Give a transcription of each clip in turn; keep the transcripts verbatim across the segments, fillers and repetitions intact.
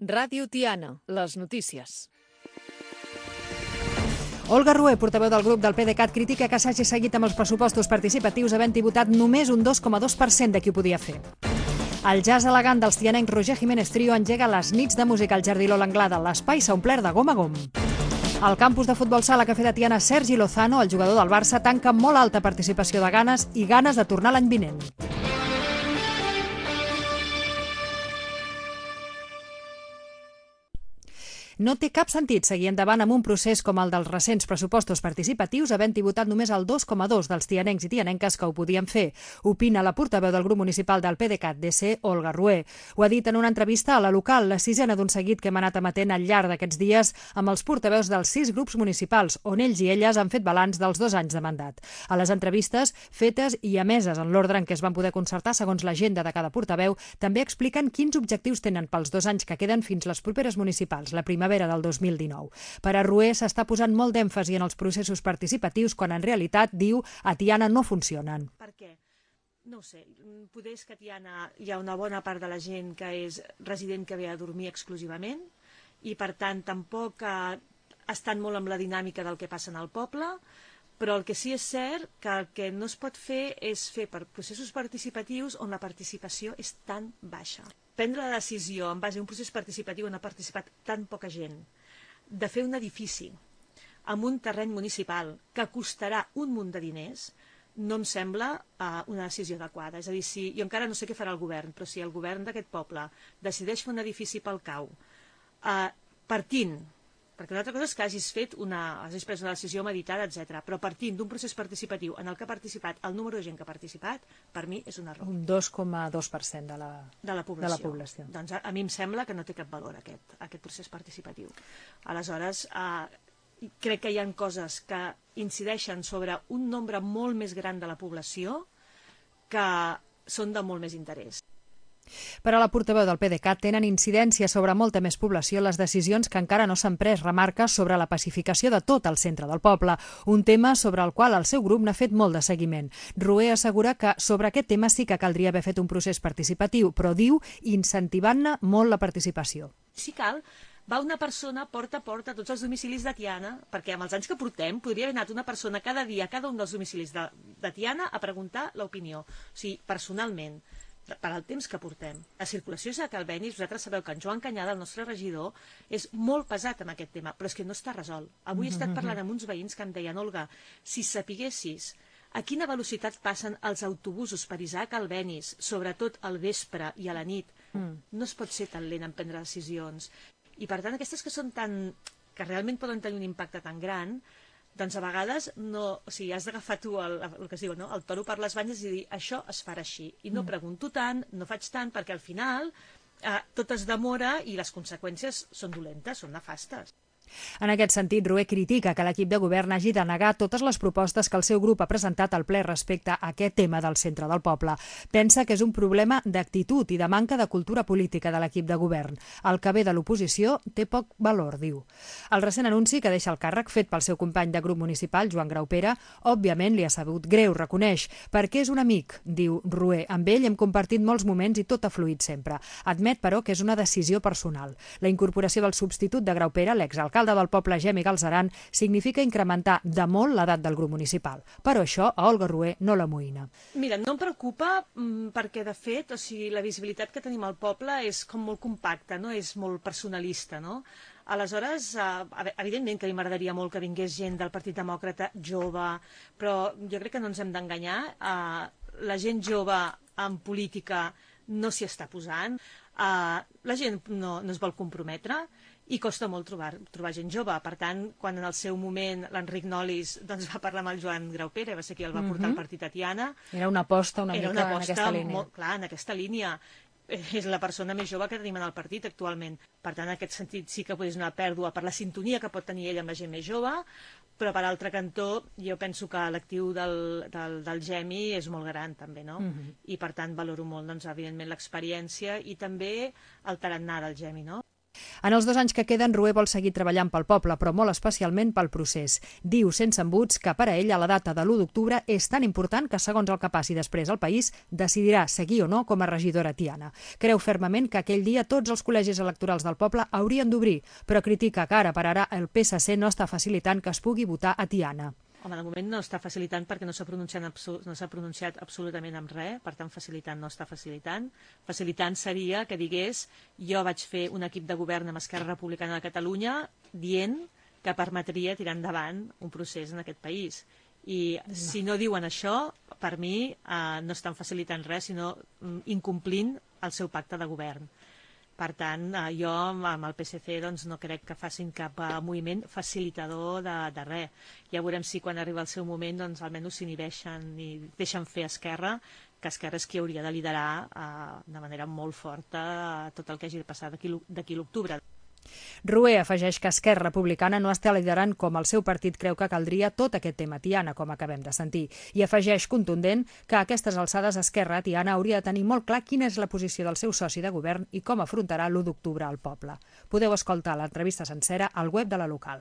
Ràdio Tiana, les notícies. Olga Rué, portaveu del grup del PDeCAT, critica que s'hagi seguit amb els pressupostos participatius havent-hi votat només un dos coma dos per cent de qui ho podia fer. El jazz elegant dels tianencs Roger Jiménez Trio engega les nits de música al Jardí Lola Anglada. L'espai s'ha omplert de gom a gom. Al campus de futbol sala Cafè de Tiana, Sergi Lozano, el jugador del Barça, tanca amb molt alta participació de ganes i ganes de tornar l'any vinent. No té cap sentit seguir endavant amb un procés com el dels recents pressupostos participatius, havent-hi votat només el dos coma dos dels tianencs i tianenques que ho podien fer, opina la portaveu del grup municipal del PDeCAT D C, Olga Rué. Ho ha dit en una entrevista a La Local, la sisena d'un seguit que hem anat emetent al llarg d'aquests dies amb els portaveus dels sis grups municipals, on ells i elles han fet balanç dels dos anys de mandat. A les entrevistes, fetes i emeses en l'ordre en què es van poder concertar segons l'agenda de cada portaveu, també expliquen quins objectius tenen pels dos anys que queden fins les properes municipals, la primavera del dos mil dinou. Per a Rué s'està posant molt d'èmfasi en els processos participatius quan en realitat, diu, a Tiana no funcionen. Per què? No ho sé, potser és que a Tiana hi ha una bona part de la gent que és resident que ve a dormir exclusivament i per tant tampoc eh, estan molt amb la dinàmica del que passa en el poble, però el que sí és cert que el que no es pot fer és fer per processos participatius on la participació és tan baixa. Prendre la decisió en base a un procés participatiu on ha participat tan poca gent, de fer un edifici amb un terreny municipal que costarà un munt de diners, no em sembla uh, una decisió adequada. És a dir, si, jo encara no sé què farà el govern, però si el govern d'aquest poble decideix fer un edifici pel cau, uh, partint, perquè una altra cosa és que hagis fet una, hagis pres una decisió meditada, etcètera, però partint d'un procés participatiu en el que ha participat el número de gent que ha participat, per mi és un error. Un dos coma dos per cent de la, de la població. De la població. Doncs a, a mi em sembla que no té cap valor aquest, aquest procés participatiu. Aleshores, eh, crec que hi ha coses que incideixen sobre un nombre molt més gran de la població que són de molt més interès. Per a la portaveu del PDeCAT tenen incidència sobre molta més població les decisions que encara no s'han pres, remarca, sobre la pacificació de tot el centre del poble, un tema sobre el qual el seu grup n'ha fet molt de seguiment. Rué assegura que sobre aquest tema sí que caldria haver fet un procés participatiu, però diu incentivant-ne molt la participació. Si cal, va una persona porta a porta a tots els domicilis de Tiana, perquè amb els anys que portem podria haver anat una persona cada dia a cada un dels domicilis de, de Tiana a preguntar l'opinió, o sigui, personalment, per al temps que portem. La circulació és a Calvenis, vosaltres sabeu que en Joan Canyada, el nostre regidor, és molt pesat amb aquest tema, però és que no està resolt. Avui he estat parlant amb uns veïns que em deien, Olga, si sapiguessis a quina velocitat passen els autobusos per Isaac Calvenis, sobretot al vespre i a la nit, mm. no es pot ser tan lent en prendre decisions. I per tant, aquestes que són tan... que realment poden tenir un impacte tan gran, doncs a vegades no, o sigui, has d'agafar tu el, el que es diu, no? El toro per les banyes i dir això es farà així. I no pregunto tant, no faig tant, perquè al final eh, tot es demora i les conseqüències són dolentes, són nefastes. En aquest sentit, Rué critica que l'equip de govern hagi de negar totes les propostes que el seu grup ha presentat al ple respecte a aquest tema del centre del poble. Pensa que és un problema d'actitud i de manca de cultura política de l'equip de govern. El que ve de l'oposició té poc valor, diu. El recent anunci que deixa el càrrec fet pel seu company de grup municipal, Joan Graupera, òbviament li ha sabut greu, reconeix, perquè és un amic, diu Rué. Amb ell hem compartit molts moments i tot ha fluït sempre. Admet, però, que és una decisió personal. La incorporació del substitut de Graupera, l'exalcalde del poble Gemi Galzeran, significa incrementar de molt l'edat del grup municipal. Però això a Olga Rué no l'amoïna. Mira, no em preocupa perquè, de fet, o sigui, la visibilitat que tenim al poble és com molt compacta, no? És molt personalista, no? Aleshores, eh, evidentment que a mi m'agradaria molt que vingués gent del Partit Demòcrata jove, però jo crec que no ens hem d'enganyar. Eh, la gent jove en política no s'hi està posant, eh, la gent no, no es vol comprometre, i costa molt trobar, trobar gent jove. Per tant, quan en el seu moment l'Enric Nolis doncs, va parlar amb el Joan Graupera, va ser qui el va portar al partit a Tiana. Era una aposta una Era mica una aposta en aquesta línia. Molt, clar, en aquesta línia. És la persona més jove que tenim en el partit actualment. Per tant, en aquest sentit sí que és una pèrdua per la sintonia que pot tenir ell amb la gent més jove, però per altre cantó jo penso que l'actiu del, del, del Gemi és molt gran també, no? Uh-huh. I per tant valoro molt, doncs, evidentment, l'experiència i també el tarannà del Gemi, no? En els dos anys que queden, Rué vol seguir treballant pel poble, però molt especialment pel procés. Diu, sense embuts, que per a ell a la data de l'u d'octubre és tan important que, segons el que passi després al país, decidirà seguir o no com a regidora a Tiana. Creu fermament que aquell dia tots els col·legis electorals del poble haurien d'obrir, però critica que ara per ara el P S C no està facilitant que es pugui votar a Tiana. Home, de moment no està facilitant perquè no s'ha pronunciat, no s'ha pronunciat absolutament amb res, per tant facilitant no està facilitant. Facilitant seria que digués jo vaig fer un equip de govern amb Esquerra Republicana de Catalunya dient que permetria tirar endavant un procés en aquest país. I si no diuen això, per mi eh, no estan facilitant res, sinó incomplint el seu pacte de govern. Per tant, jo amb el P S C doncs, no crec que facin cap moviment facilitador de, de res. Ja veurem si quan arriba el seu moment doncs, almenys s'inhibeixen i deixen fer Esquerra, que Esquerra és qui hauria de liderar eh, de manera molt forta eh, tot el que hagi de passar d'aquí l'octubre. Rué afegeix que Esquerra Republicana no està liderant com el seu partit creu que caldria tot aquest tema Tiana, com acabem de sentir, i afegeix contundent que a aquestes alçades Esquerra a Tiana hauria de tenir molt clar quina és la posició del seu soci de govern i com afrontarà l'u d'octubre al poble. Podeu escoltar l'entrevista sencera al web de la local.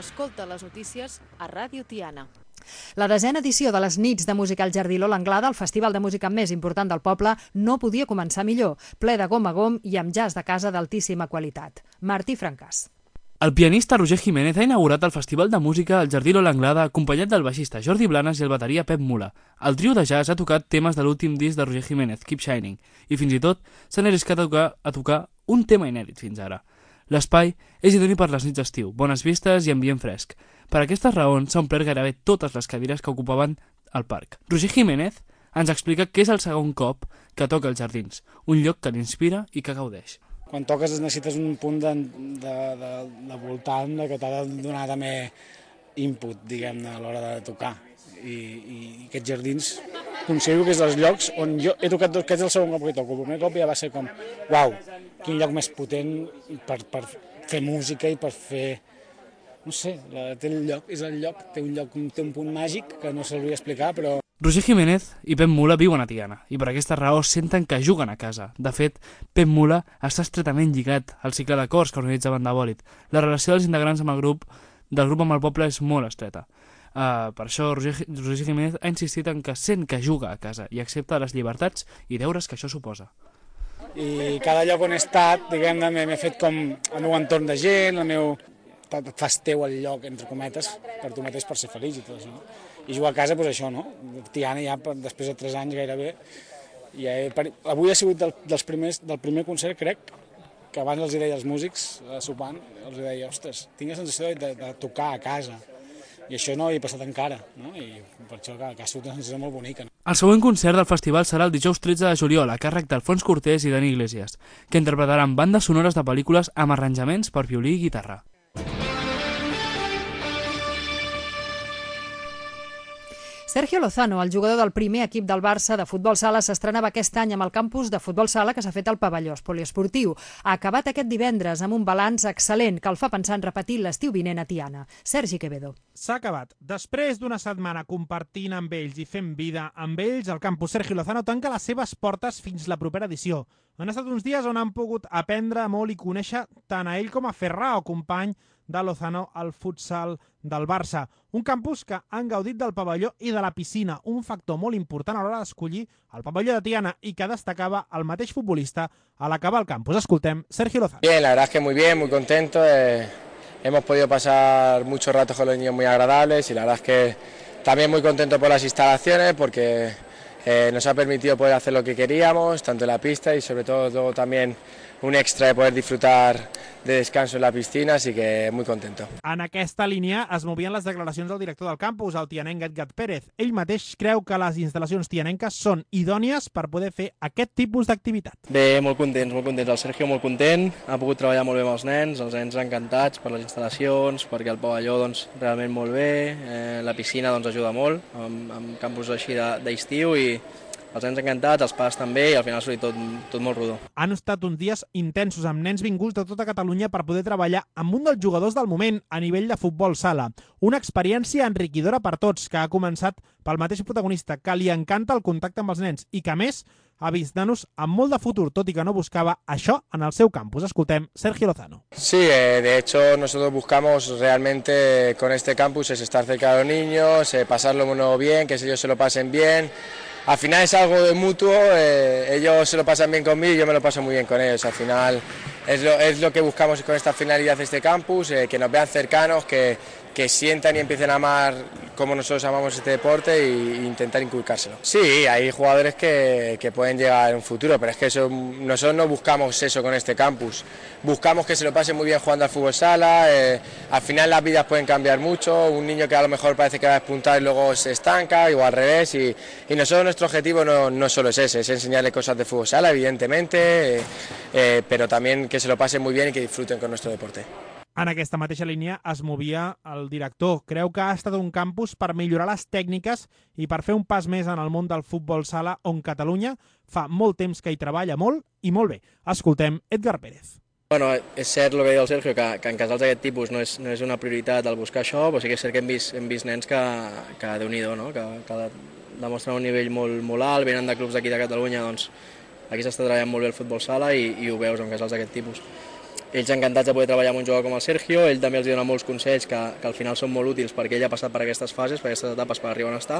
Escolta les notícies a Ràdio Tiana. La desena edició de les nits de música al Jardí Lola Anglada, el festival de música més important del poble, no podia començar millor, ple de gom a gom i amb jazz de casa d'altíssima qualitat. Martí Francàs. El pianista Roger Jiménez ha inaugurat el festival de música al Jardí Lola Anglada acompanyat del baixista Jordi Blanes i el bateria Pep Mula. El trio de jazz ha tocat temes de l'últim disc de Roger Jiménez, Keep Shining, i fins i tot s'han arriscat a tocar, a tocar un tema inèdit fins ara. L'espai és idoni per les nits d'estiu, bones vistes i ambient fresc. Per aquestes raons s'ha omplert gairebé totes les cadires que ocupaven el parc. Roger Jiménez ens explica que és el segon cop que toca els jardins, un lloc que l'inspira i que gaudeix. Quan toques necessites un punt de, de, de, de voltant que t'ha de donar també input, diguem-ne, a l'hora de tocar. I, i aquests jardins considero que és dels llocs on jo he tocat, aquest és el segon cop que toco. El primer cop ja va ser com, uau, quin lloc més potent per, per fer música i per fer, no sé, la, té el lloc, és el lloc, té un lloc, té un punt màgic que no sabria explicar, però... Roger Jiménez i Pep Mula viuen a Tiana i per aquesta raó senten que juguen a casa. De fet, Pep Mula està estretament lligat al cicle de cors que organitza Banda Bòlit. La relació dels integrants amb el grup, del grup amb el poble és molt estreta. Uh, per això Roger, Roger Jiménez ha insistit en que sent que juga a casa i accepta les llibertats i deures que això suposa. I cada lloc on he estat, diguem-ne, m'he fet com el meu entorn de gent, el meu... et fas teu el lloc, entre cometes, per tu mateix per ser feliç i tot això. No? I jugar a casa, doncs això, no? Tiana ja, després de tres anys gairebé, ja he... avui ha sigut del, dels primers, del primer concert, crec, que abans els deia als músics, sopant, els deia, ostres, tinc la sensació de, de tocar a casa. I això no hi he passat encara, no? I per això que, que ha sigut una sensació molt bonica. No? El següent concert del festival serà el dijous tretze de juliol, a càrrec d'Alfons Cortés i Dani Iglesias, que interpretaran bandes sonores de pel·lícules amb arranjaments per violí i guitarra. Sergio Lozano, el jugador del primer equip del Barça de futbol sala, s'estrenava aquest any amb el campus de futbol sala que s'ha fet al pavelló poliesportiu. Ha acabat aquest divendres amb un balanç excel·lent que el fa pensar en repetir l'estiu vinent a Tiana. Sergi Quevedo. S'ha acabat. Després d'una setmana compartint amb ells i fent vida amb ells, el campus Sergio Lozano tanca les seves portes fins la propera edició. Han estat uns dies on han pogut aprendre molt i conèixer tant a ell com a Ferrao, company de Lozano al futsal del Barça. Un campus que han gaudit del pavelló i de la piscina, un factor molt important a l'hora d'escollir el pavelló de Tiana i que destacava el mateix futbolista a l'acabar el campus. Escoltem Sergio Lozano. Bien, la verdad es que muy bien, muy contento. Eh, hemos podido pasar muchos ratos con los niños muy agradables y la verdad es que también muy contento por las instalaciones porque eh, nos ha permitido poder hacer lo que queríamos, tanto en la pista y sobre todo luego también un extra de poder disfrutar de descanso en la piscina, así que muy contento. En aquesta línia es movien les declaracions del director del campus, el tianenc Edgar Pérez. Ell mateix creu que les instal·lacions tianenques són idònies per poder fer aquest tipus d'activitat. Bé, molt contents, molt contents. El Sergio molt content, ha pogut treballar molt bé amb els nens, els nens encantats per les instal·lacions, perquè el pavelló doncs, realment molt bé, eh, la piscina doncs, ajuda molt, amb, amb campus així d'estiu i Els nens encantats, els pares també, i al final s'ha tot, tot molt rodó. Han estat uns dies intensos amb nens vinguts de tota Catalunya per poder treballar amb un dels jugadors del moment a nivell de futbol sala. Una experiència enriquidora per tots, que ha començat pel mateix protagonista, que li encanta el contacte amb els nens i que, a més, ha vist nanos amb molt de futur, tot i que no buscava això en el seu campus. Escoltem Sergio Lozano. Sí, eh, de hecho nosotros buscamos realmente con este campus es estar cerca de los niños, eh, pasarlo bien, que ellos se lo pasen bien. Al final es algo de mutuo, eh, ellos se lo pasan bien conmigo y yo me lo paso muy bien con ellos. Al final es lo, es lo que buscamos con esta finalidad de este campus, eh, que nos vean cercanos, que, que sientan y empiecen a amar como nosotros amamos este deporte e intentar inculcárselo. Sí, hay jugadores que, que pueden llegar en un futuro, pero es que eso, nosotros no buscamos eso con este campus. Buscamos que se lo pasen muy bien jugando al fútbol sala, eh, al final las vidas pueden cambiar mucho, un niño que a lo mejor parece que va a despuntar y luego se estanca, o al revés, y, y nosotros nuestro objetivo no, no solo es ese, es enseñarle cosas de fútbol sala, evidentemente, eh, eh, pero también que se lo pasen muy bien y que disfruten con nuestro deporte. En aquesta mateixa línia es movia el director. Creu que ha estat un campus per millorar les tècniques i per fer un pas més en el món del futbol sala, on Catalunya fa molt temps que hi treballa molt i molt bé. Escoltem Edgar Pérez. Bueno, és cert el que deia el Sergio, que, que en casals d'aquest tipus no és, no és una prioritat el buscar això, però sí que és cert que hem vist, hem vist nens que, que Déu-n'hi-do, no? que, que demostren un nivell molt, molt alt, venen de clubs d'aquí de Catalunya, doncs aquí s'està treballant molt bé el futbol sala i, i ho veus en casals d'aquest tipus. Ells encantats de poder treballar amb un jugador com el Sergio, ell també els dona molts consells que, que al final són molt útils perquè ell ha passat per aquestes fases, per aquestes etapes per arribar on està,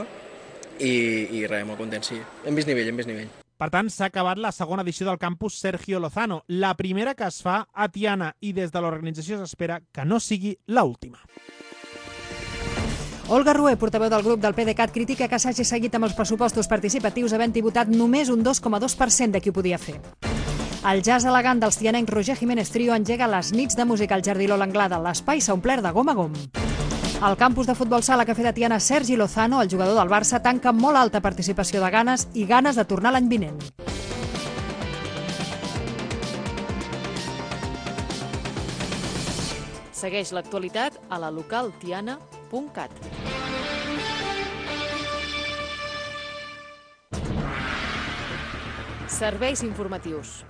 i, i res, molt content, sí. Hem vist nivell, hem vist nivell. Per tant, s'ha acabat la segona edició del campus Sergio Lozano, la primera que es fa a Tiana, i des de l'organització s'espera que no sigui l'última. Olga Rué, portaveu del grup del PDeCAT, critica que s'hagi seguit amb els pressupostos participatius havent-hi votat només un dos coma dos per cent de qui ho podia fer. El jazz elegant dels tianencs Roger Jiménez Trio engega les nits de música al Jardí L'Anglada. L'espai s'ha omplert de gom a gom. El campus de futbol sala Cafè de Tiana, Sergi Lozano, el jugador del Barça, tanca amb molt alta participació de ganes i ganes de tornar l'any vinent. Segueix l'actualitat a la local tiana punt cat. Serveis informatius.